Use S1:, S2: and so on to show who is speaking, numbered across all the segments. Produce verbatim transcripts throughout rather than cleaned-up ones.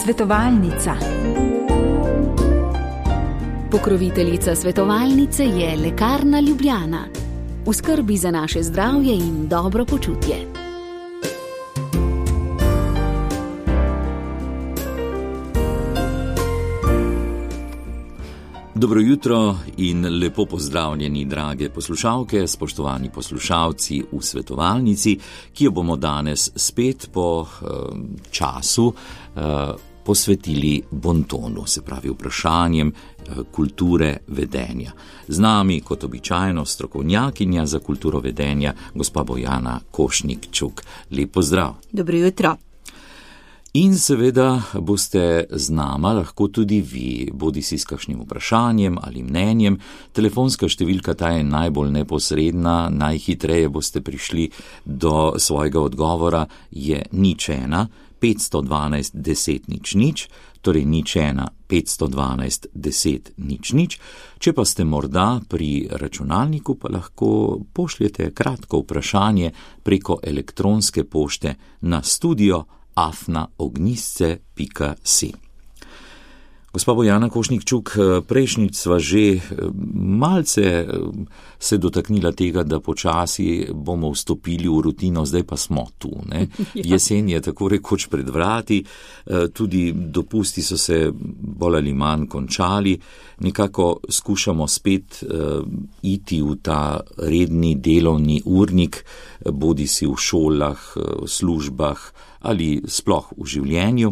S1: Svetovalnica.
S2: Pokroviteljica svetovalnice je Lekarna Ljubljana. V skrbi za naše zdravje in dobro počutje.
S3: Dobro jutro in lepo pozdravljeni, drage poslušalke, spoštovani poslušalci v svetovalnici, ki jo bomo danes spet po eh, času eh, posvetili bontonu, se pravi vprašanjem eh, kulture vedenja. Z nami, kot običajno, strokovnjakinja za kulturo vedenja, gospa Bojana Košnik-Čuk. Lep pozdrav.
S4: Dobro jutro.
S3: In seveda boste z nama lahko tudi vi, bodi si s kakšnim vprašanjem ali mnenjem. Telefonska številka ta je najbolj neposredna, najhitreje boste prišli do svojega odgovora, je nič ena, petsto dvanajst, deset nič nič, torej nič ena, petsto dvanajst, deset nič nič. Če pa ste morda pri računalniku, pa lahko pošljete kratko vprašanje preko elektronske pošte na studio afna ognjisce pika si. Gospa Bojana Košnik-Čuk, prejšnjič sva že malce se dotaknila tega, da počasi bomo vstopili v rutino, zdaj pa smo tu. Ne? Jesen je tako rekoč pred vrati, tudi dopusti so se bolj ali manj končali, nekako skušamo spet iti v ta redni delovni urnik, bodi si v šolah, v službah ali sploh v življenju.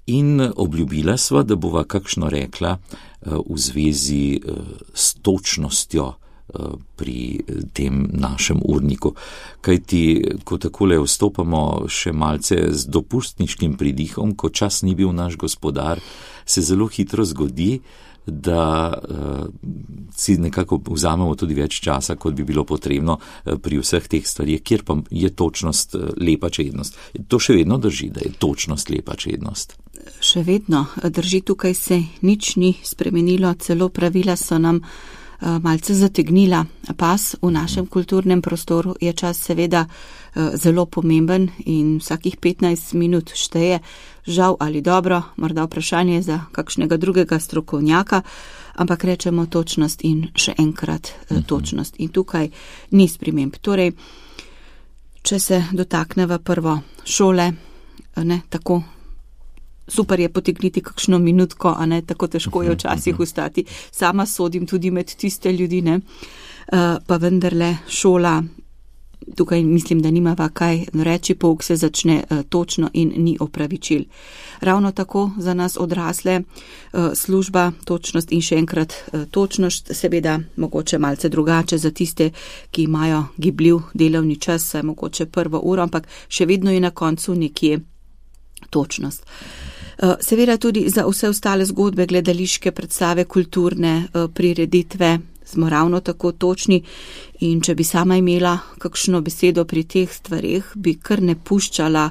S3: In obljubila sva, da bova kakšno rekla v zvezi s točnostjo pri tem našem urniku. Kajti, ko takole vstopamo še malce z dopustniškim pridihom, ko čas ni bil naš gospodar, se zelo hitro zgodi, da uh, si nekako vzamemo tudi več časa, kot bi bilo potrebno uh, pri vseh teh stvarih, kjer pa je točnost uh, lepa čednost. To še vedno drži, da je točnost lepa čednost?
S4: Še vedno drži, tukaj se nič ni spremenilo, celo pravila so nam uh, malce zategnila pas. V našem kulturnem prostoru je čas seveda uh, zelo pomemben in vsakih petnajst minut šteje. Žal ali dobro, morda vprašanje za kakšnega drugega strokovnjaka, ampak rečemo točnost in še enkrat uh, točnost. In tukaj ni sprememb. Torej, če se dotakneva prvo šole, ne, tako super je potegniti kakšno minutko, a ne, tako težko je včasih ustati. Sama sodim tudi med tiste ljudi, ne, uh, pa vendarle šola, tukaj mislim, da nimava kaj reči, pouk se začne uh, točno in ni opravičil. Ravno tako za nas odrasle uh, služba, točnost in še enkrat uh, točnost, seveda mogoče malce drugače za tiste, ki imajo gibljiv delovni čas, saj mogoče prvo uro, ampak še vedno je na koncu nekje točnost. Seveda tudi za vse ostale zgodbe, gledališke predstave, kulturne prireditve smo ravno tako točni in če bi sama imela kakšno besedo pri teh stvarih, bi kar ne puščala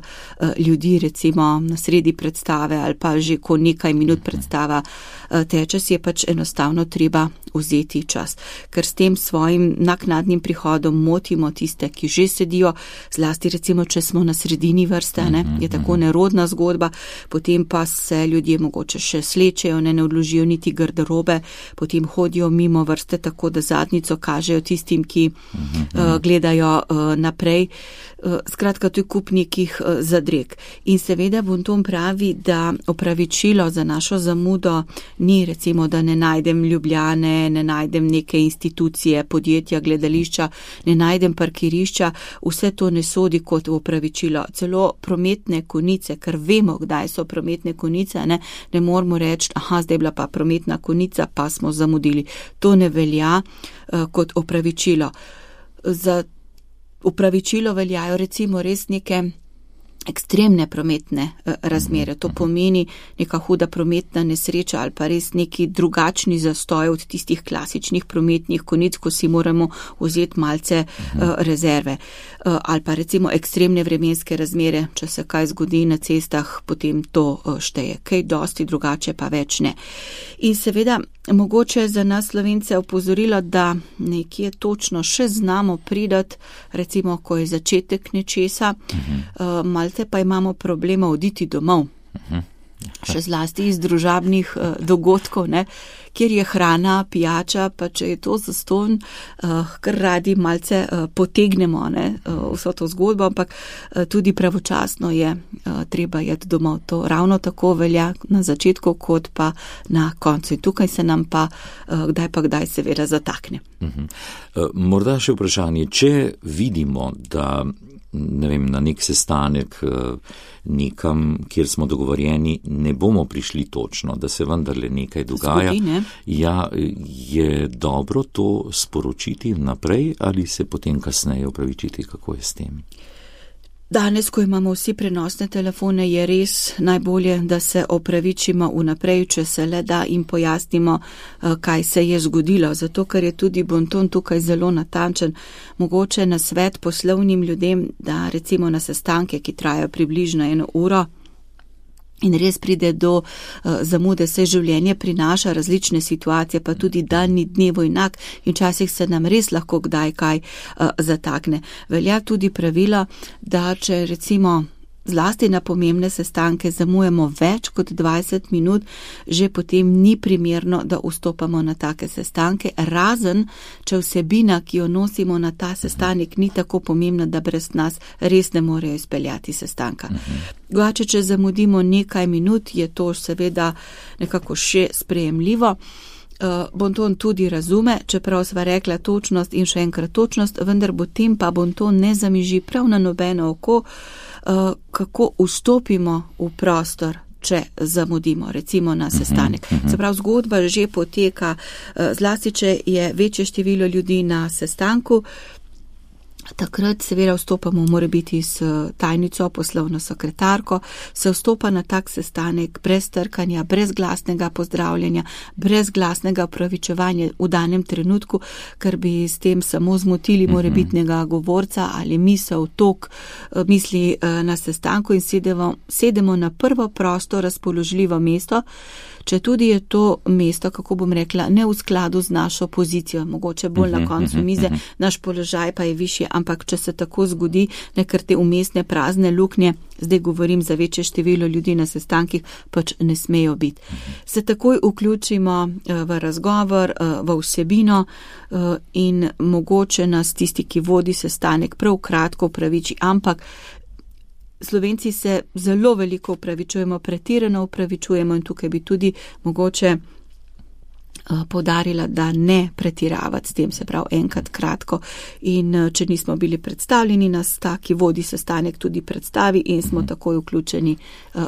S4: ljudi recimo na sredi predstave ali pa že ko nekaj minut predstava teče, si je pač enostavno treba vzeti čas. Ker s tem svojim naknadnim prihodom motimo tiste, ki že sedijo, zlasti recimo, če smo na sredini vrste, ne, je tako nerodna zgodba, potem pa se ljudje mogoče še slečejo, ne, ne odložijo niti garderobe, potem hodijo mimo vrste tako, da zadnjico kažejo tistim, ki uh, gledajo uh, naprej. Uh, skratka, to je kup nekih uh, zadreg. In seveda Bonton pravi, da opravičilo za našo zamudo ni recimo, da ne najdem Ljubljane, ne najdem neke institucije, podjetja, gledališča, ne najdem parkirišča, vse to ne sodi kot opravičilo. Celo prometne konice, ker vemo, kdaj so prometne konice, ne, ne moramo reči, aha, zdaj bila pa prometna konica, pa smo zamudili. To ne velja uh, kot opravičilo. Za opravičilo veljajo recimo res neke ekstremne prometne razmere. To pomeni neka huda prometna nesreča ali pa res neki drugačni zastoj od tistih klasičnih prometnih konic, ko si moramo vzeti malce uh, rezerve. Uh, ali pa recimo ekstremne vremenske razmere, če se kaj zgodi na cestah, potem to uh, šteje. Kaj dosti drugače pa več ne. In seveda mogoče za nas Slovence opozorilo, da nekje točno še znamo pridati, recimo, ko je začetek nečesa, uh-huh. uh, malce pa imamo problema oditi domov. Uh-huh. še zlasti iz družabnih uh, dogodkov, ne, kjer je hrana, pijača, pa če je to zastonj, uh, kar radi malce uh, potegnemo, ne, uh, vso to zgodbo, ampak uh, tudi pravočasno je uh, treba jeti domov. To ravno tako velja na začetku, kot pa na koncu. In tukaj se nam pa uh, kdaj pa kdaj seveda zatakne.
S3: Uh-huh. Uh, morda še vprašanje, če vidimo, da ne vem, na nek sestanek nekam, kjer smo dogovorjeni, ne bomo prišli točno, da se vendarle nekaj dogaja.
S4: Zgodi, ne?
S3: Ja, je dobro to sporočiti naprej ali se potem kasneje opravičiti, kako je s tem?
S4: Danes, ko imamo vsi prenosne telefone, je res najbolje, da se opravičimo vnaprej, če se le da in pojasnimo, kaj se je zgodilo. Zato, ker je tudi bonton tukaj zelo natančen, mogoče na svet poslovnim ljudem, da recimo na sestanke, ki trajajo približno eno uro, in res pride do uh, zamude, se življenje prinaša različne situacije, pa tudi dan ni dnevo enak in včasih se nam res lahko kdaj kaj uh, zatakne. Velja tudi pravilo, da če recimo zlasti na pomembne sestanke zamujamo več kot dvajset minut, že potem ni primerno, da vstopamo na take sestanke, razen če vsebina, ki jo nosimo na ta sestanek, ni tako pomembna, da brez nas res ne morejo izpeljati sestanka. Drugače, če zamudimo nekaj minut, je to seveda nekako še sprejemljivo. Uh, bonton tudi razume, čeprav sva rekla točnost in še enkrat točnost, vendar potem pa bonton ne zamiži prav na nobeno oko, uh, kako vstopimo v prostor, če zamudimo, recimo na sestanek. Uh-huh, uh-huh. Se pravi, zgodba že poteka, uh, zlasti, če je večje število ljudi na sestanku, takrat seveda vstopamo, mora biti s tajnico, poslovno sekretarko, se vstopa na tak sestanek brez trkanja, brez glasnega pozdravljanja, brez glasnega opravičevanja v danem trenutku, ker bi s tem samo zmotili morebitnega govorca ali misel, tok misli na sestanku in sedemo, sedemo na prvo prosto razpoložljivo mesto, če tudi je to mesto, kako bom rekla, ne v skladu z našo pozicijo, mogoče bolj na koncu mize, naš položaj pa je višji, ampak če se tako zgodi, nekar te umestne prazne luknje, zdaj govorim za večje število ljudi na sestankih, pač ne smejo biti. Se takoj vključimo v razgovor, v vsebino in mogoče nas tisti, ki vodi sestanek, prav kratko upraviči, ampak Slovenci se zelo veliko upravičujemo, pretirano upravičujemo in tukaj bi tudi mogoče poudarila, da ne pretiravati s tem, se pravi enkrat kratko in če nismo bili predstavljeni, nas ta, ki vodi sestanek, tudi predstavi in smo mm. takoj vključeni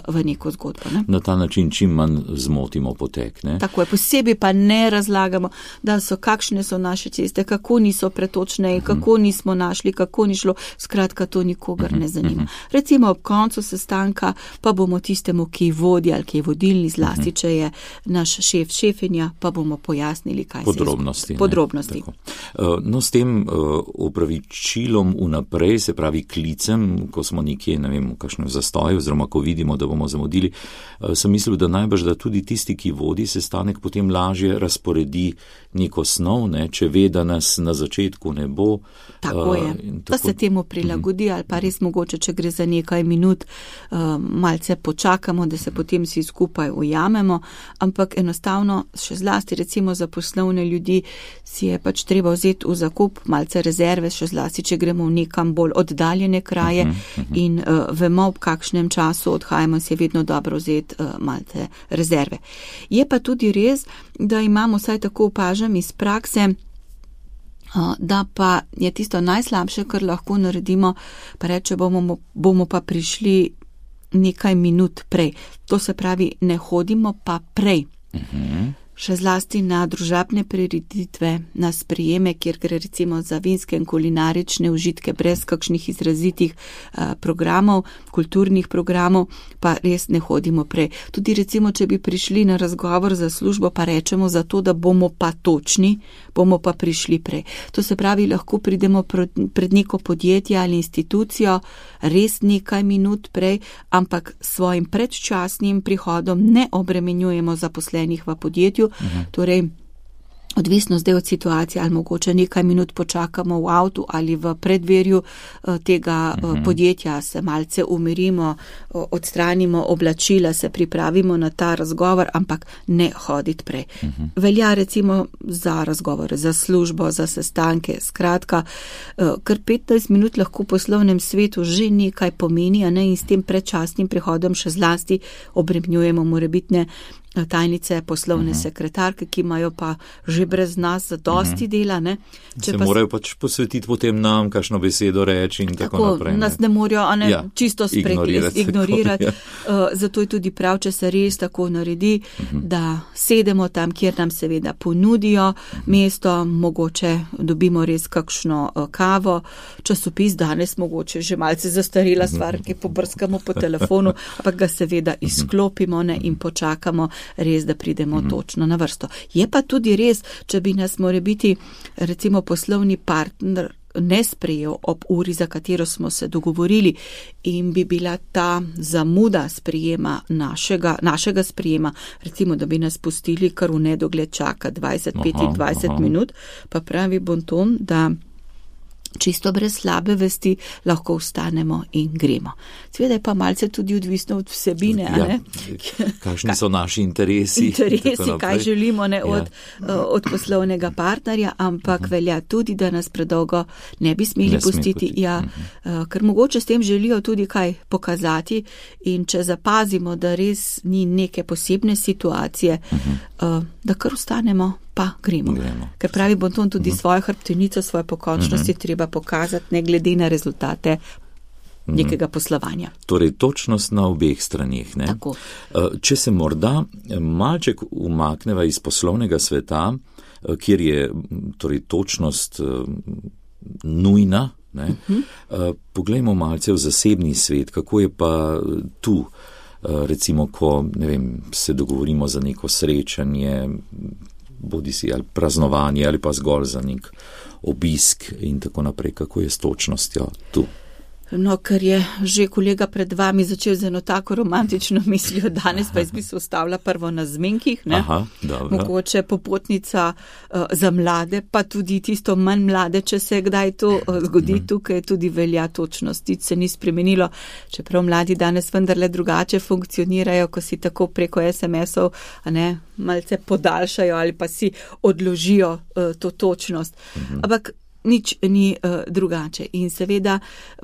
S4: v neko zgodbo. Ne?
S3: Na ta način čim manj zmotimo potek. Ne?
S4: Tako je, posebej pa ne razlagamo, da so kakšne so naše ceste, kako niso pretočne, mm. kako nismo našli, kako ni šlo, skratka to nikogar mm. ne zanima. Mm. Recimo ob koncu sestanka pa bomo tistemu, ki vodi ali ki je vodilni, zlasti, mm. če je naš šef, šefinja, pa bomo pojasnili, kaj
S3: podrobnosti,
S4: se podrobnosti.
S3: No, s tem opravičilom vnaprej, se pravi klicem, ko smo nekje, ne vem, v kakšnem zastoju, oziroma ko vidimo, da bomo zamudili, sem mislil, da najbrž, da tudi tisti, ki vodi sestanek, potem lažje razporedi neko snov, ne, če ve, da nas na začetku ne bo.
S4: Tako je, tako... da se temu prilagodi, ali pa res mogoče, če gre za nekaj minut, malce počakamo, da se potem vsi skupaj ujamemo, ampak enostavno še zlasti recimo za poslovne ljudi si je pač treba vzeti v zakup malce rezerve, še zlasti, če gremo v nekam bolj oddaljene kraje uh-huh, uh-huh. in uh, vemo, v kakšnem času odhajamo, si je vedno dobro vzeti uh, malce rezerve. Je pa tudi res, da imamo, vsaj tako opažam iz prakse, uh, da pa je tisto najslabše, kar lahko naredimo, pa reče, bomo, bomo pa prišli nekaj minut prej. To se pravi, ne hodimo pa prej. Uh-huh. Še zlasti na družabne prireditve, na sprijeme, kjer gre recimo za vinske in kulinarične užitke brez kakšnih izrazitih uh, programov, kulturnih programov, pa res ne hodimo prej. Tudi recimo, če bi prišli na razgovor za službo, pa rečemo zato, da bomo pa točni, bomo pa prišli prej. To se pravi, lahko pridemo pred neko podjetje ali institucijo res nekaj minut prej, ampak svojim predčasnim prihodom ne obremenjujemo zaposlenih v podjetju. Uhum. Torej, odvisno zdaj od situacije, ali mogoče nekaj minut počakamo v avtu ali v predverju tega uh-huh. podjetja, se malce umirimo, odstranimo oblačila, se pripravimo na ta razgovor, ampak ne hoditi prej. Uh-huh. Velja recimo za razgovore, za službo, za sestanke, skratka, kar petnajst minut lahko v poslovnem svetu že nekaj pomeni, a ne, in s tem predčasnim prihodom še zlasti obremenjujemo morebitne tajnice, poslovne uh-huh. sekretarke, ki imajo pa že brez nas dosti uh-huh. dela. Ne?
S3: Se pa morajo pač posvetiti potem nam, kakšno besedo reči in tako, tako naprej.
S4: Ne? Nas ne morajo ne, ja, čisto spregledati, ignorirati. Ja. Uh, zato je tudi prav, če se res tako naredi, uh-huh. da sedemo tam, kjer nam seveda ponudijo uh-huh. mesto, mogoče dobimo res kakšno uh, kavo, časopis danes mogoče že malce zastarela stvar, ki pobrskamo po telefonu, ampak ga seveda izklopimo ne, in počakamo, res, da pridemo mm-hmm. točno na vrsto. Je pa tudi res, če bi nas more biti recimo poslovni partner ne sprejel ob uri, za katero smo se dogovorili, in bi bila ta zamuda sprijema našega, našega sprijema, recimo, da bi nas pustili kar v nedogled čaka dvajset do petindvajset minut, pa pravi Bonton, da čisto brez slabe vesti lahko vstanemo in gremo. Sveda je pa malce tudi odvisno od vsebine. Ja, ne?
S3: Kakšni so naši interesi.
S4: Interesi, kaj želimo ne, ja. od, od poslovnega partnerja, ampak uh-huh. velja tudi, da nas predolgo ne bi smeli ne pustiti. Ja, uh-huh. Ker mogoče s tem želijo tudi kaj pokazati, in če zapazimo, da res ni neke posebne situacije, uh-huh. uh, da kar vstanemo, pa gremo. gremo. Ker pravi Bonton, tudi uh-huh. svojo hrbtenico, svoje pokončnosti uh-huh. treba pokazati, ne glede na rezultate uh-huh. nekega poslovanja.
S3: Torej, točnost na obeh straneh. Ne?
S4: Tako.
S3: Če se morda malček umakneva iz poslovnega sveta, kjer je torej, točnost nujna, ne? Uh-huh. Poglejmo malce v zasebni svet, kako je pa tu, recimo, ko ne vem, se dogovorimo za neko srečanje, bodi si ali praznovanje ali pa zgolj za nek obisk in tako naprej, kako je s točnostjo tu.
S4: No, ker je že kolega pred vami začel z eno tako romantično mislijo, danes pa jaz bi se ustavila prvo na zmenkih, ne?
S3: Aha, dobro.
S4: Mogoče popotnica uh, za mlade, pa tudi tisto manj mlade, če se kdaj to uh, zgodi, mm. tukaj tudi velja točnost, nič se ni spremenilo, čeprav mladi danes vendarle drugače funkcionirajo, ko si tako preko es em esov, a ne, malce podaljšajo ali pa si odložijo uh, to točnost. Mm-hmm. Ampak nič ni uh, drugače. In seveda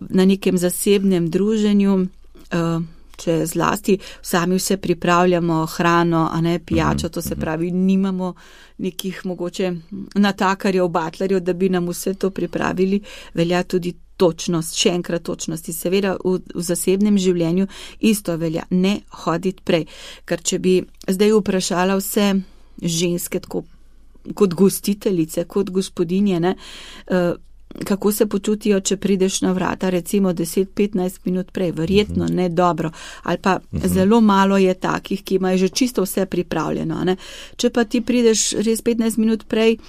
S4: na nekem zasebnem druženju, uh, če zlasti sami vse pripravljamo, hrano, a ne pijačo, to se pravi, nimamo nekih mogoče natakarjev, batlarjev, da bi nam vse to pripravili, velja tudi točnost, še enkrat točnost. In seveda v, v zasebnem življenju isto velja, ne hoditi prej. Ker če bi zdaj vprašala vse ženske tako kot gostiteljice, kot gospodinje, ne, kako se počutijo, če prideš na vrata recimo deset do petnajst minut prej, verjetno ne dobro, ali pa zelo malo je takih, ki imajo že čisto vse pripravljeno. Ne. Če pa ti prideš res petnajst minut prej,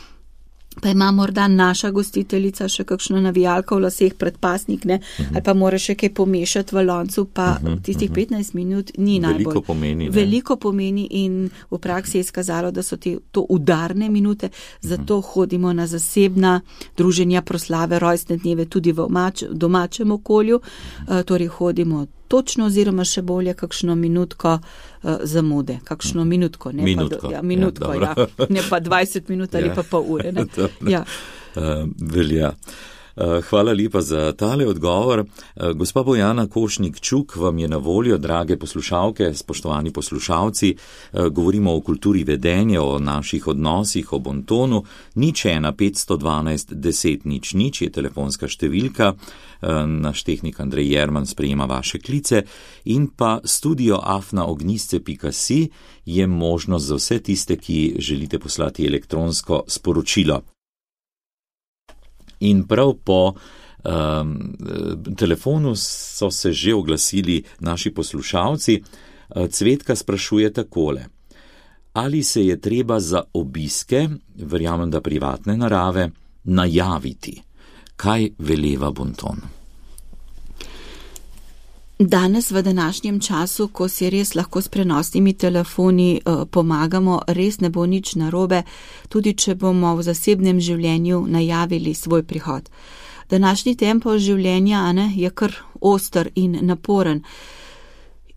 S4: pa ima morda naša gostiteljica še kakšno navijalko v laseh, predpasnik, ne, uh-huh. ali pa mora še kaj pomešati v loncu, pa uh-huh, tistih uh-huh. petnajst minut ni najbolj.
S3: Veliko pomeni. Ne?
S4: Veliko pomeni in v praksi je izkazalo, da so te, to udarne minute, zato uh-huh. hodimo na zasebna druženja, proslave, rojstne dneve tudi v domač, domačem okolju, uh, torej hodimo točno oziroma še bolje kakšno minutko uh, zamude, kakšno minutko, ne
S3: minutko,
S4: pa, ja, minutko, ja, ja, ne pa dvajset minut ali ja. pa pol ure. Ne? Ja.
S3: Uh, velja. Hvala lepa za tale odgovor. Gospa Bojana Košnik-Čuk vam je na voljo, drage poslušalke, spoštovani poslušalci. Govorimo o kulturi vedenja, o naših odnosih, o bontonu. Nič ena petsto dvanajst deset nič nič je telefonska številka. Naš tehnik Andrej Jerman sprejema vaše klice in pa studio afna ognisce pika si je možnost za vse tiste, ki želite poslati elektronsko sporočilo. In prav po um, telefonu so se že oglasili naši poslušalci. Cvetka sprašuje takole. Ali se je treba za obiske, verjamem, da privatne narave, najaviti? Kaj veleva bonton?
S4: Danes v današnjem času, ko si res lahko s prenosnimi telefoni uh, pomagamo, res ne bo nič narobe, tudi če bomo v zasebnem življenju najavili svoj prihod. Današnji tempo življenja ne, je kar oster in naporen.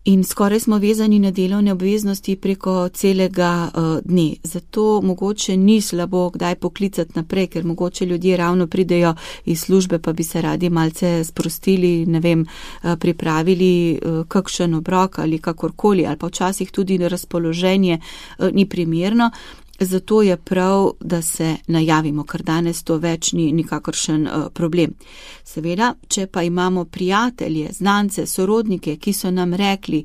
S4: In skoraj smo vezani na delovne obveznosti preko celega uh, dne. Zato mogoče ni slabo kdaj poklicati naprej, ker mogoče ljudje ravno pridejo iz službe, pa bi se radi malce sprostili, ne vem, uh, pripravili uh, kakšen obrok ali kakorkoli, ali pa včasih tudi razpoloženje uh, ni primerno. Zato je prav, da se najavimo, ker danes to več ni nikakršen uh, problem. Seveda, če pa imamo prijatelje, znance, sorodnike, ki so nam rekli,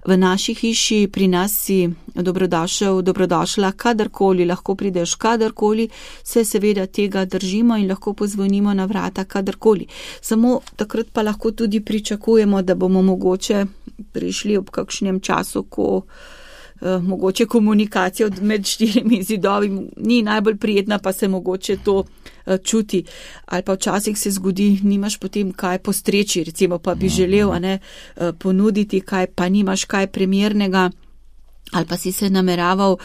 S4: v naši hiši pri nas si dobrodošel, dobrodošla kadarkoli, lahko prideš kadarkoli, se seveda tega držimo in lahko pozvonimo na vrata kadarkoli. Samo takrat pa lahko tudi pričakujemo, da bomo mogoče prišli ob kakšnem času, ko mogoče komunikacija med štirimi zidovi ni najbolj prijetna, pa se mogoče to čuti. Ali pa včasih se zgodi, nimaš potem kaj postreči, recimo pa bi želel a ne, ponuditi kaj, pa nimaš kaj primernega, ali pa si se nameraval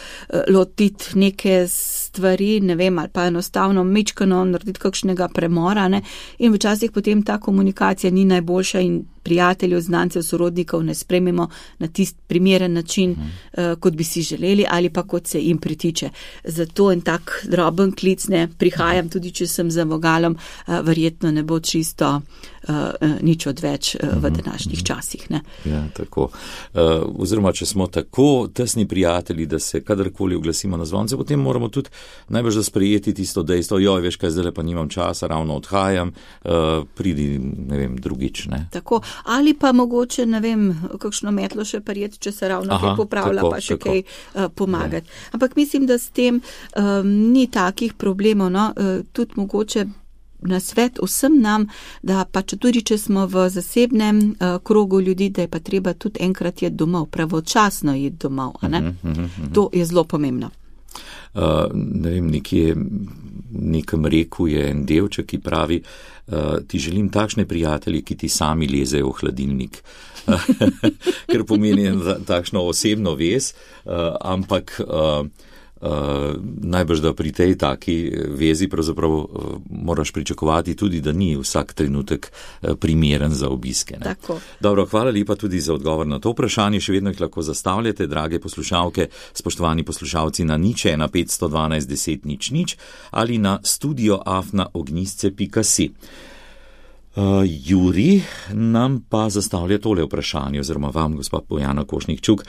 S4: lotiti neke stvari, ne vem, ali pa enostavno mičkano narediti kakšnega premora, ne, in včasih potem ta komunikacija ni najboljša in prijateljev, znancev, sorodnikov ne sprememo na tist primeren način, hmm. uh, kot bi si želeli ali pa kot se jim pritiče. Zato en tak droben klic, ne, prihajam, tudi če sem za vogalom, uh, verjetno ne bo čisto uh, uh, nič odveč uh, v današnjih časih. Ne.
S3: Ja, tako. Uh, oziroma, če smo tako tesni prijatelji, da se kadarkoli oglasimo na zvonce, potem moramo tudi najbolj sprejeti tisto dejstvo, joj, veš kaj, zdaj pa nimam časa, ravno odhajam, uh, pridi, ne vem, drugič. Ne.
S4: Tako. Ali pa mogoče, ne vem, kakšno metlo še prijeti, če se ravno kaj popravlja, tako, pa še tako. kaj uh, pomagati. Ja. Ampak mislim, da s tem um, ni takih problemov, no, uh, tudi mogoče na svet vsem nam, da pa če tudi, če smo v zasebnem uh, krogu ljudi, da je pa treba tudi enkrat jeti domov, pravočasno jeti domov, a ne? Uh-huh, uh-huh, uh-huh. To je zelo pomembno.
S3: Uh, ne vem, nekje nekem reku je en delček, ki pravi, uh, ti želim takšne prijatelje, ki ti sami lezejo v hladilnik, ker pomeni takšno osebno vez, uh, ampak uh, Uh, najbrž, da pri tej taki vezi pravzaprav uh, moraš pričakovati tudi, da ni vsak trenutek uh, primeren za obiske. Ne? Dobro, hvala lepa tudi za odgovor na to vprašanje. Še vedno jih lahko zastavljate, drage poslušalke, spoštovani poslušalci, na nič ena petsto dvanajst deset nič nič ali na studio afna ognjisce pika si. Uh, Juri nam pa zastavlja tole vprašanje, oziroma vam, gospod Bojana Košnik-Čuk.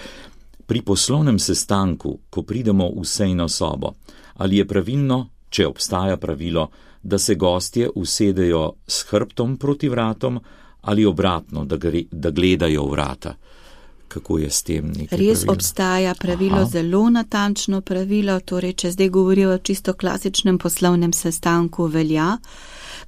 S3: Pri poslovnem sestanku, ko pridemo v sejno sobo, ali je pravilno, če obstaja pravilo, da se gostje usedejo s hrbtom proti vratom ali obratno, da, gre, da gledajo vrata? Kako je s tem nekaj pravilo?
S4: Res obstaja pravilo, Aha. zelo natančno pravilo, torej, če zdaj govorijo o čisto klasičnem poslovnem sestanku, velja,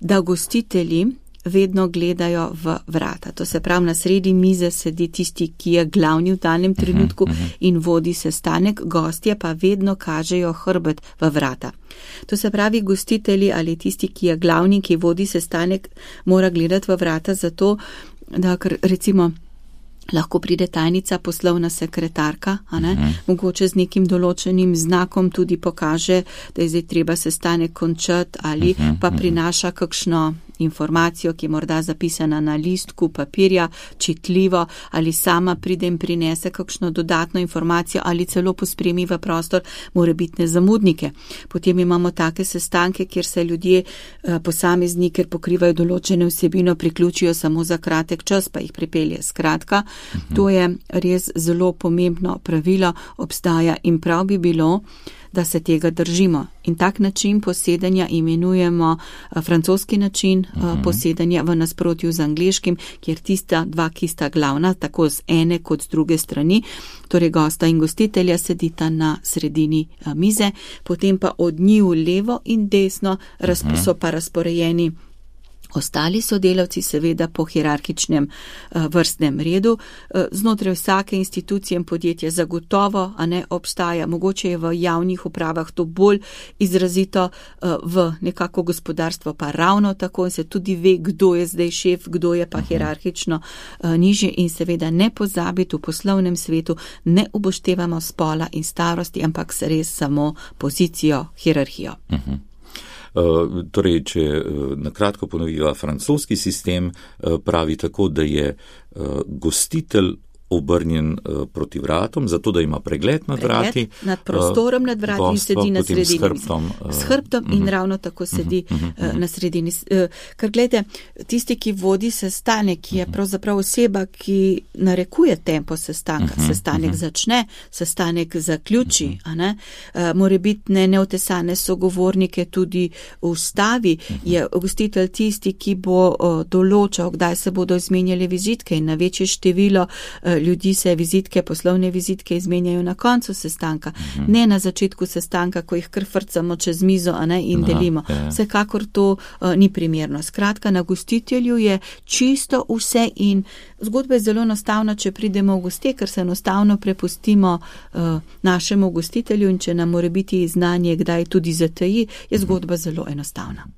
S4: da gostitelji vedno gledajo v vrata. To se pravi, na sredi mize sedi tisti, ki je glavni v danem trenutku uh-huh, uh-huh. in vodi sestanek, gostje pa vedno kažejo hrbet v vrata. To se pravi, gostitelji ali tisti, ki je glavni, ki vodi sestanek, mora gledati v vrata zato, da recimo lahko pride tajnica, poslovna sekretarka, a ne, uh-huh. mogoče z nekim določenim znakom tudi pokaže, da je zdaj treba sestanek končati ali uh-huh, pa prinaša kakšno informacijo, ki je morda zapisana na listku papirja, čitljivo, ali sama pride in prinese kakšno dodatno informacijo ali celo pospremi v prostor morebitne zamudnike. Potem imamo take sestanke, kjer se ljudje posamezni, ker pokrivajo določene vsebino, priključijo samo za kratek čas, pa jih pripelje. Skratka, uh-huh. to je res zelo pomembno pravilo, obstaja in prav bi bilo, da se tega držimo. In tak način posedanja imenujemo francoski način uh-huh. posedanja v nasprotju z angleškim, kjer tista dva, ki sta glavna, tako z ene kot z druge strani, torej gosta in gostitelja sedita na sredini mize, potem pa od njiju levo in desno uh-huh. so pa razporejeni Ostali sodelavci seveda po hierarhičnem uh, vrstnem redu. Uh, znotraj vsake institucije in podjetja zagotovo, a ne obstaja, mogoče je v javnih upravah to bolj izrazito, uh, v nekako gospodarstvo pa ravno tako in se tudi ve, kdo je zdaj šef, kdo je pa hierarhično uh, nižje in seveda ne pozabiti v poslovnem svetu, ne upoštevamo spola in starosti, ampak se res samo pozicijo, hierarhijo.
S3: Uh-huh. Uh, torej, če uh, nakratko ponoviva, francoski sistem uh, pravi tako, da je uh, gostitelj obrnjen uh, proti vratom, zato da ima pregled nad
S4: pregled,
S3: vrati.
S4: Nad prostorom, uh, nad vrati in sedi na sredini.
S3: S hrbtom. Uh,
S4: s hrbtom uh, in uh, ravno tako sedi uh, uh, na sredini. Uh, ker gledajte, tisti, ki vodi sestanek, je pravzaprav oseba, ki narekuje tempo sestanka. Uh, sestanek uh, začne, sestanek zaključi, uh, a ne? Uh, more biti ne neotesane sogovornike tudi ustavi. Uh, je gostitelj tisti, ki bo uh, določal, kdaj se bodo izmenjali vizitke in na večje število uh, ljudi se vizitke, poslovne vizitke izmenjajo na koncu sestanka, uh-huh. ne na začetku sestanka, ko jih kar frcamo čez mizo, a ne, in Aha, delimo. Je. Vsekakor to uh, ni primerno. Skratka, na gostitelju je čisto vse in zgodba je zelo enostavna, če pridemo v goste, ker se enostavno prepustimo uh, našemu gostitelju in če nam more biti znanje, kdaj tudi zataji, je zgodba uh-huh. zelo enostavna.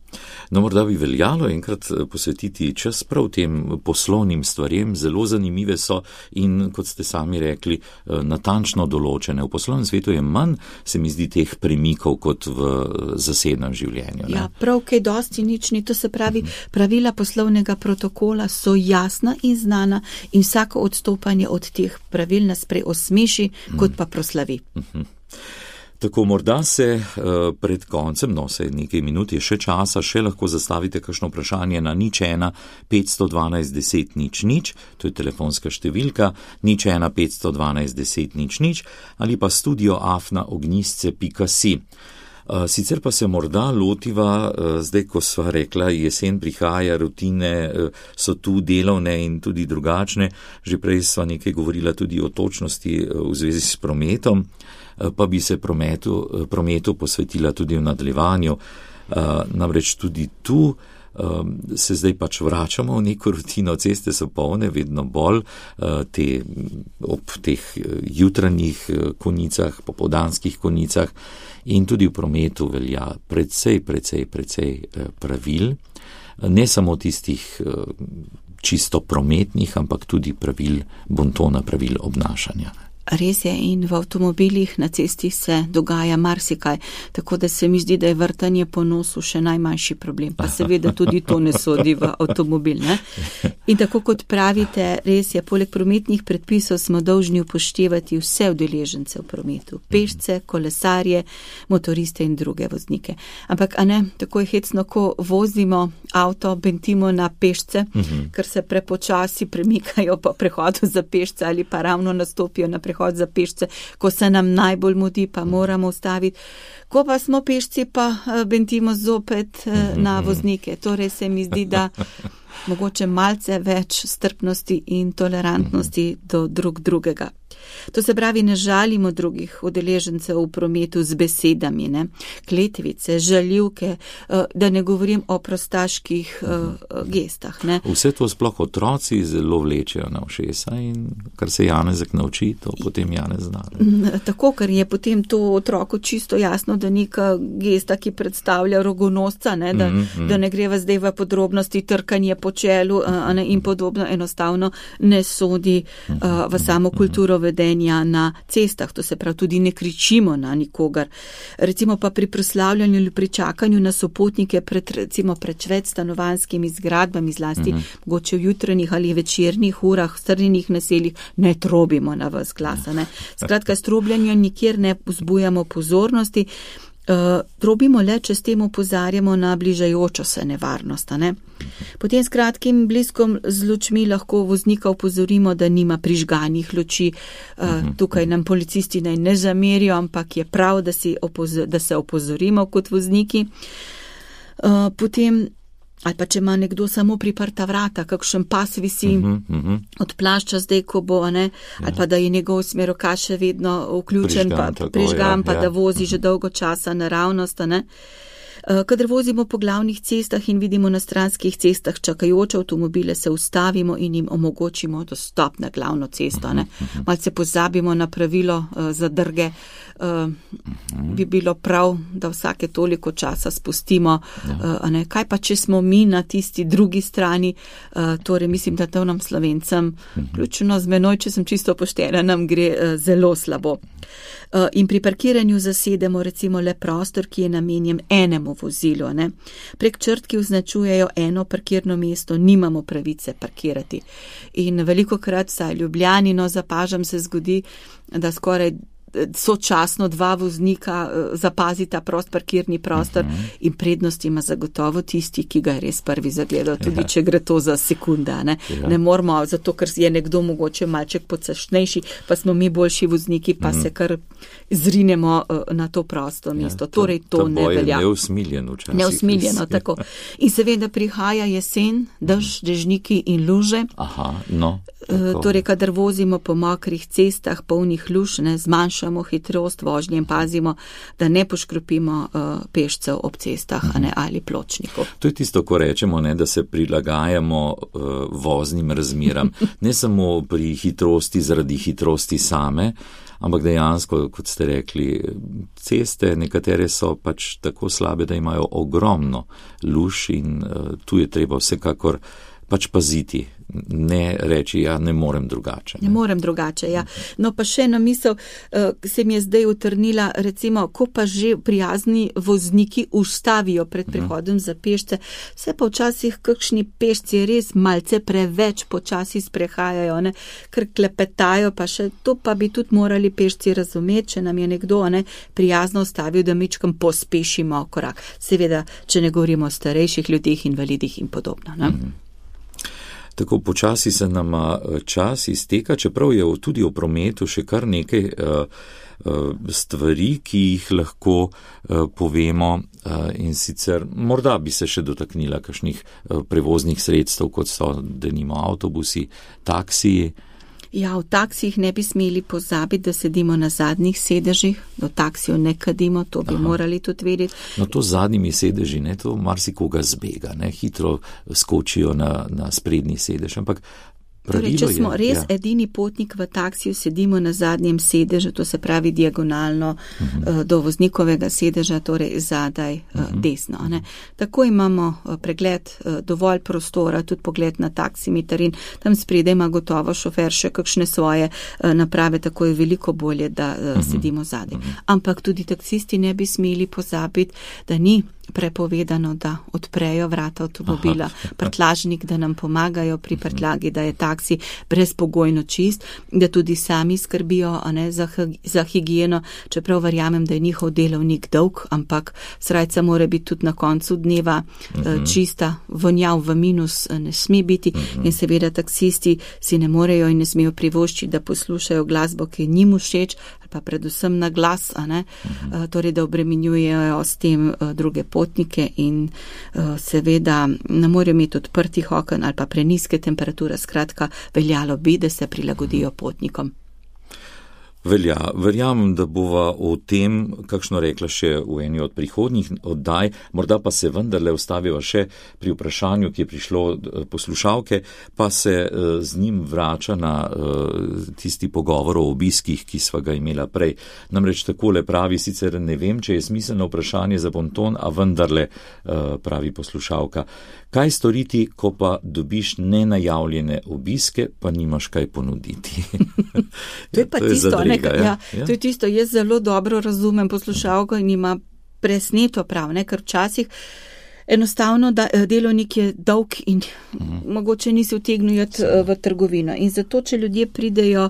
S3: No, morda bi veljalo enkrat posvetiti čas prav tem poslovnim stvarem, zelo zanimive so in, kot ste sami rekli, natančno določene. V poslovnem svetu je manj, se mi zdi, teh premikov kot v zasebnem življenju. Ne?
S4: Ja, prav kaj dosti nič ni, to se pravi, pravila poslovnega protokola so jasna in znana in vsako odstopanje od teh pravil nas prej osmeši, kot pa proslavi.
S3: Mhm. Tako morda se uh, pred koncem, no se nekaj minut je še časa, še lahko zastavite kakšno vprašanje na nič ena petsto dvanajst deset nič nič, to je telefonska številka, nič ena petsto dvanajst deset nič nič ali pa studio afna ognjisce pika si. Uh, sicer pa se morda lotiva, uh, zdaj ko sva rekla, jesen prihaja, rutine uh, so tu delovne in tudi drugačne, že prej sva nekaj govorila tudi o točnosti uh, v zvezi s prometom, pa bi se prometu, prometu posvetila tudi v nadaljevanju. Namreč tudi tu se zdaj pač vračamo v neko rutino, ceste so polne, vedno bolj te, ob teh jutranjih konicah, popoldanskih konicah in tudi v prometu velja precej, precej, precej pravil, ne samo tistih čisto prometnih, ampak tudi pravil bontona, pravil obnašanja.
S4: Res je in v avtomobilih na cesti se dogaja marsikaj, tako da se mi zdi, da je vrtanje po nosu še najmanjši problem, pa seveda tudi to ne sodi v avtomobil. Ne? In tako kot pravite, res je, poleg prometnih predpisov smo dolžni upoštevati vse udeležence v prometu, pešce, kolesarje, motoriste in druge voznike. Ampak, a ne, tako je hecno, ko vozimo avto, bentimo na pešce, uh-huh. ker se prepočasi premikajo po prehodu za pešce ali pa ravno nastopijo na prehod za pešce, ko se nam najbolj mudi, pa moramo ustaviti. Ko pa smo pešci, pa bentimo zopet na voznike. Torej se mi zdi, da mogoče malce več strpnosti in tolerantnosti do drug drugega. To se pravi, ne žalimo drugih udeležencev v prometu z besedami, ne? Kletvice, žaljivke, da ne govorim o prostaških uh, gestah. Ne?
S3: Vse to sploh otroci zelo vlečejo na ušesa in kar se Janezek nauči, to potem Janez zna. Ne?
S4: Tako, ker je potem to otroku čisto jasno, da neka gesta, ki predstavlja rogonosca, ne? Da, mm-hmm. da ne greva zdaj v podrobnosti trkanje po čelu uh, ne? In podobno enostavno ne sodi uh, v samo kulturo vedenja na cestah, to se pravi tudi ne kričimo na nikogar. Recimo pa pri proslavljanju ali pri čakanju na sopotnike pred, recimo pred več stanovanjskimi zgradbami, zlasti mm-hmm. mogoče v jutranjih ali večernih urah, v strnjenih naseljih, ne trobimo na vas glasa. Ne. Skratka, s trobljanjem nikjer ne vzbujamo pozornosti, Uh, trobimo le, če s tem opozarjamo na bližajočo se nevarnost. Ne? Potem s kratkim bliskom z lučmi lahko voznika opozorimo, da nima prižganih luči. Uh, tukaj nam policisti naj ne zamerijo, ampak je prav, da, si opozor, da se opozorimo kot vozniki. Uh, potem ali pa če ima nekdo samo priprta vrata, kakšen pas visi uh-huh, uh-huh. od plašča zdaj, ko bo, ne, ali pa da je njegov smerokaš še vedno vključen, prižgan, pa, tako, prižgan, ja, pa ja. Da vozi že dolgo časa naravnost. Ne. Kadar vozimo po glavnih cestah in vidimo na stranskih cestah čakajoče avtomobile, se ustavimo in jim omogočimo dostop na glavno cesto. Ne? Malce pozabimo na pravilo zadrge. Bi bilo prav, da vsake toliko časa spustimo. Ja. Ne? Kaj pa, če smo mi na tisti drugi strani, torej mislim, da to nam Slovencem, ključno z menoj, če sem čisto poštena, nam gre zelo slabo. In pri parkiranju zasedemo recimo le prostor, ki je namenjen enemu vozilu. Ne? Prek črt, ki označujejo eno parkirno mesto, nimamo pravice parkirati. In velikokrat, saj Ljubljani, no, zapažam, se zgodi, da skoraj sočasno dva voznika zapazita prost parkirni prostor uh-huh. in prednost ima zagotovo tisti, ki ga je res prvi zagledal, tudi ja. Če gre to za sekunda. Ne, ja. Ne moramo, zato ker je nekdo mogoče malček podsašnejši, pa smo mi boljši vozniki, pa uh-huh. se kar zrinemo na to prosto mesto. Ja, to, torej to ne velja.
S3: Neusmiljeno včasih.
S4: Neusmiljeno, tako. In seveda prihaja jesen, dež, dežniki in luže.
S3: Aha, no.
S4: Torej, kadar vozimo po mokrih cestah, polnih luž, ne, zmanjšamo hitrost vožnje in pazimo, da ne poškropimo uh, pešcev ob cestah uh-huh. ne, ali pločnikov.
S3: To je tisto, ko rečemo, ne, da se prilagajamo uh, voznim razmeram. Ne samo pri hitrosti zaradi hitrosti same, ampak dejansko, kot ste rekli, ceste nekatere so pač tako slabe, da imajo ogromno luž in uh, tu je treba vsekakor pač paziti. Ne reči, ja, ne morem drugače.
S4: Ne, ne morem drugače, ja. No pa še ena misel, se mi je zdaj utrnila, recimo, ko pa že prijazni vozniki ustavijo pred prihodom za pešce, se pa včasih kakšni pešci res malce preveč počasi sprehajajo, ne, ker klepetajo, pa še to pa bi tudi morali pešci razumeti, če nam je nekdo ne, prijazno ustavil, da mičkam pospešimo korak. Seveda, če ne govorimo o starejših ljudeh, invalidih in podobno. Ne? Mm-hmm.
S3: Tako počasi se nama čas izteka, čeprav je tudi v prometu še kar nekaj uh, uh, stvari, ki jih lahko uh, povemo uh, in sicer morda bi se še dotaknila kakšnih uh, prevoznih sredstev, kot so denimo avtobusi, taksiji.
S4: Ja, v taksijih ne bi smeli pozabiti, da sedimo na zadnjih sedežih, do taksijo ne kadimo, to bi Aha. morali tudi vedeti.
S3: No to z zadnjimi sedeži, ne, to marsikoga zbega, ne, hitro skočijo na, na sprednji sedež, ampak
S4: Torej, če smo
S3: je,
S4: res
S3: ja.
S4: edini potnik v taksiju, sedimo na zadnjem sedežu, to se pravi diagonalno uh-huh. do voznikovega sedeža, torej zadaj uh-huh. desno. Ne. Tako imamo pregled, dovolj prostora, tudi pogled na taksimeter in tam spredaj ima gotovo šofer še kakšne svoje naprave, tako je veliko bolje, da uh-huh. sedimo zadaj. Uh-huh. Ampak tudi taksisti ne bi smeli pozabiti, da ni prepovedano, da odprejo vrata avtomobila, prtljažnik, da nam pomagajo pri prtljagi, da je taksi brezpogojno čist, da tudi sami skrbijo a ne, za, za higieno, čeprav verjamem, da je njihov delovnik dolg, ampak srajca mora biti tudi na koncu dneva uh-huh. čista, vonjav v minus ne sme biti uh-huh. in seveda taksisti si ne morejo in ne smejo privoščiti, da poslušajo glasbo, ki je njim všeč, pa predvsem na glas, a ne, uh-huh. torej da obremenjujejo s tem druge potnike in uh, seveda ne morejo imeti odprtih oken ali pa preniske temperature, skratka veljalo bi, da se prilagodijo potnikom.
S3: Velja, verjamem, da bova o tem, kakšno rekla še v eni od prihodnjih oddaj, morda pa se vendarle ustaviva še pri vprašanju, ki je prišlo poslušalke, pa se z njim vrača na tisti pogovor o obiskih, ki sva ga imela prej. Namreč takole pravi, sicer ne vem, če je smiselno vprašanje za bonton, a vendarle pravi poslušalka. Kaj storiti, ko pa dobiš nenajavljene obiske, pa nimaš kaj ponuditi?
S4: To je pa to je tisto, zadrega, ne, ja, ja. To je tisto, jaz zelo dobro razumem poslušalko in ima presneto prav, ne, ker včasih enostavno da, delovnik je dolg in uh-huh. mogoče nisi utegnil v trgovino. In zato, če ljudje pridejo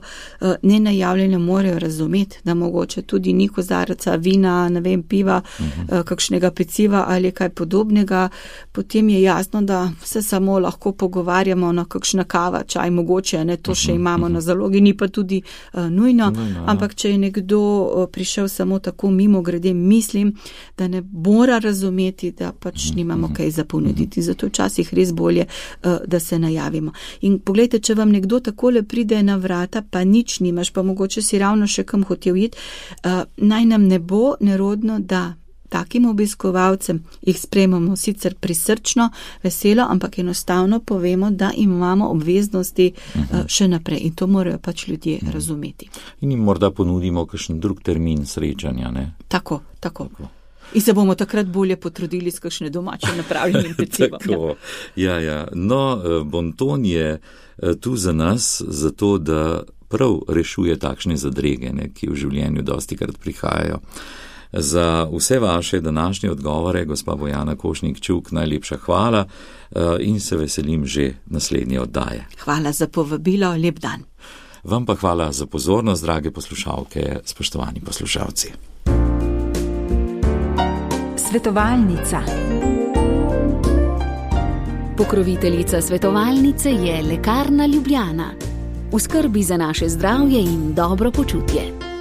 S4: nenajavljene, morajo razumeti, da mogoče tudi ni kozarca vina, ne vem, piva, uh-huh. kakšnega peciva ali kaj podobnega, potem je jasno, da se samo lahko pogovarjamo na kakšna kava, čaj mogoče, ne, to še imamo uh-huh. na zalogi, ni pa tudi uh, nujno, no, no, ampak če je nekdo uh, prišel samo tako mimo grede, mislim, da ne mora razumeti, da pač uh-huh. imamo kaj za ponuditi, zato včasih res bolje, da se najavimo. In poglejte, če vam nekdo takole pride na vrata, pa nič nimaš, pa mogoče si ravno še kam hotel iti, naj nam ne bo nerodno, da takim obiskovalcem jih sprejmemo sicer prisrčno, veselo, ampak enostavno povemo, da imamo obveznosti uh, še naprej in to morajo pač ljudje uh-huh. razumeti.
S3: In jim morda ponudimo kakšen drug termin srečanja, ne?
S4: Tako, tako. tako. In se bomo takrat bolje potrudili s kakšne domače napravljenim pecivom.
S3: Tako, ja, ja. No, bonton je tu za nas, zato da prav rešuje takšne zadrege, ne, ki v življenju dostikrat prihajajo. Za vse vaše današnje odgovore, gospa Bojana Košnik-Čuk, najlepša hvala in se veselim že naslednje oddaje.
S4: Hvala za povabilo, lep dan.
S3: Vam pa hvala za pozornost, drage poslušalke, spoštovani poslušalci.
S2: Svetovalnica. Pokroviteljica svetovalnice je Lekarna Ljubljana. V skrbi za naše zdravje in dobro počutje.